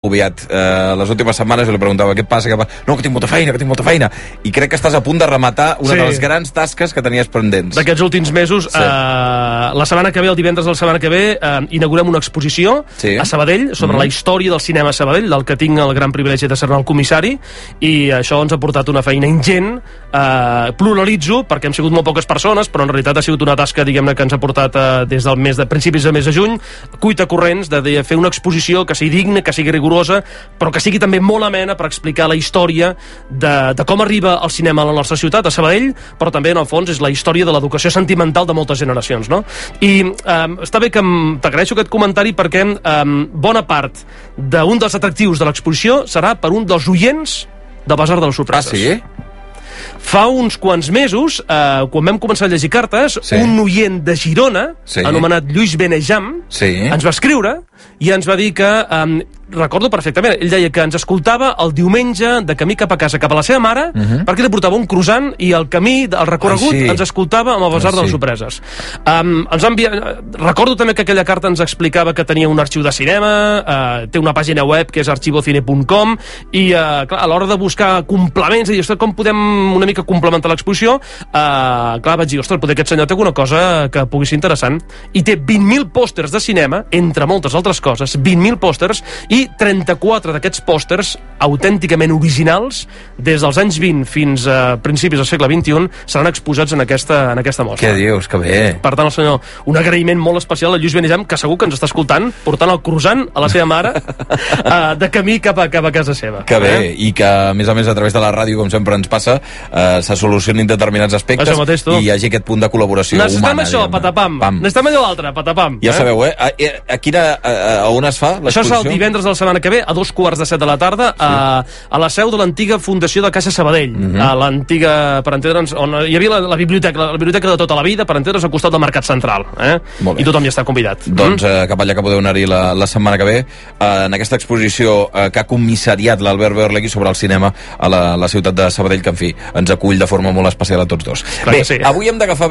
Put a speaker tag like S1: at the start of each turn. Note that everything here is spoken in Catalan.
S1: agobiat les últimes setmanes i li preguntava què passa, no, que tinc molta feina, i crec que estàs a punt de rematar una de les grans tasques que tenies pendents.
S2: D'aquests últims mesos, la setmana que ve, el divendres de la setmana que ve, inaugurem una exposició a Sabadell sobre la història del cinema a Sabadell, del que tinc el gran privilegi de ser-ne el comissari, i això ens ha portat una feina ingent. Pluralitzo, perquè hem sigut molt poques persones, però en realitat ha sigut una tasca, diguem-ne, que ens ha portat des del mes de principis del mes de juny, cuita corrents de fer una exposició que sigui digna, que sigui rigorosa, però que sigui també molt amena per explicar la història de com arriba el cinema a la nostra ciutat, a Sabadell, però també, en el fons, és la història de l'educació sentimental de moltes generacions, no? I està bé que t'agraeixo aquest comentari perquè bona part d'un dels atractius de l'exposició serà per un dels oients del Basar de les Sorpreses.
S1: Ah, sí?
S2: Fa uns quants mesos, quan vam començar a llegir cartes, un oient de Girona, anomenat Lluís Benejam, ens va escriure i ens va dir que, recordo perfectament, ell deia que ens escoltava el diumenge de camí cap a casa, cap a la seva mare, perquè li portava un croissant i el camí, el recorregut, ens escoltava amb el Basar de les Sorpreses. Recordo també que aquella carta ens explicava que tenia un arxiu de cinema, té una pàgina web que és archivocine.com, i clar, a l'hora de buscar complements, i com podem una mica complementar l'exposició, clar, vaig dir, ostres, potser aquest senyor té alguna cosa que pugui ser interessant, i té 20.000 pòsters de cinema, entre moltes altres coses, 20.000 pòsters, i 34 d'aquests pòsters autènticament originals des dels anys 20 fins a principis del segle XXI seran exposats en aquesta mostra.
S1: Què dius? Que bé.
S2: Per tant, el senyor, un agraïment molt especial a Lluís Benejam, que segur que ens està escoltant, portant el croissant a la seva mare de camí cap a casa seva.
S1: Que bé, i que a més a través de la ràdio, com sempre ens passa, se solucionin determinats aspectes i hi hagi aquest punt de col·laboració humana.
S2: Necessitem això, patapam. Necessitem allò l'altre, patapam.
S1: Ja sabeu, a on es fa l'exposició?
S2: Això és el divendres de la setmana que ve, a 2:15 de la tarda, a la seu de l'antiga Fundació de Caixa Sabadell, a l'antiga, per entendre'ns, on hi havia la biblioteca de tota la vida, per entendre'ns, al costat del Mercat Central. I tothom hi està convidat.
S1: Doncs cap allà que podeu anar-hi la setmana que ve, en aquesta exposició que ha comissariat l'Albert Berlegui sobre el cinema a la ciutat de Sabadell, que en fi, ens acull de forma molt especial a tots dos. Bé, avui hem d'agafar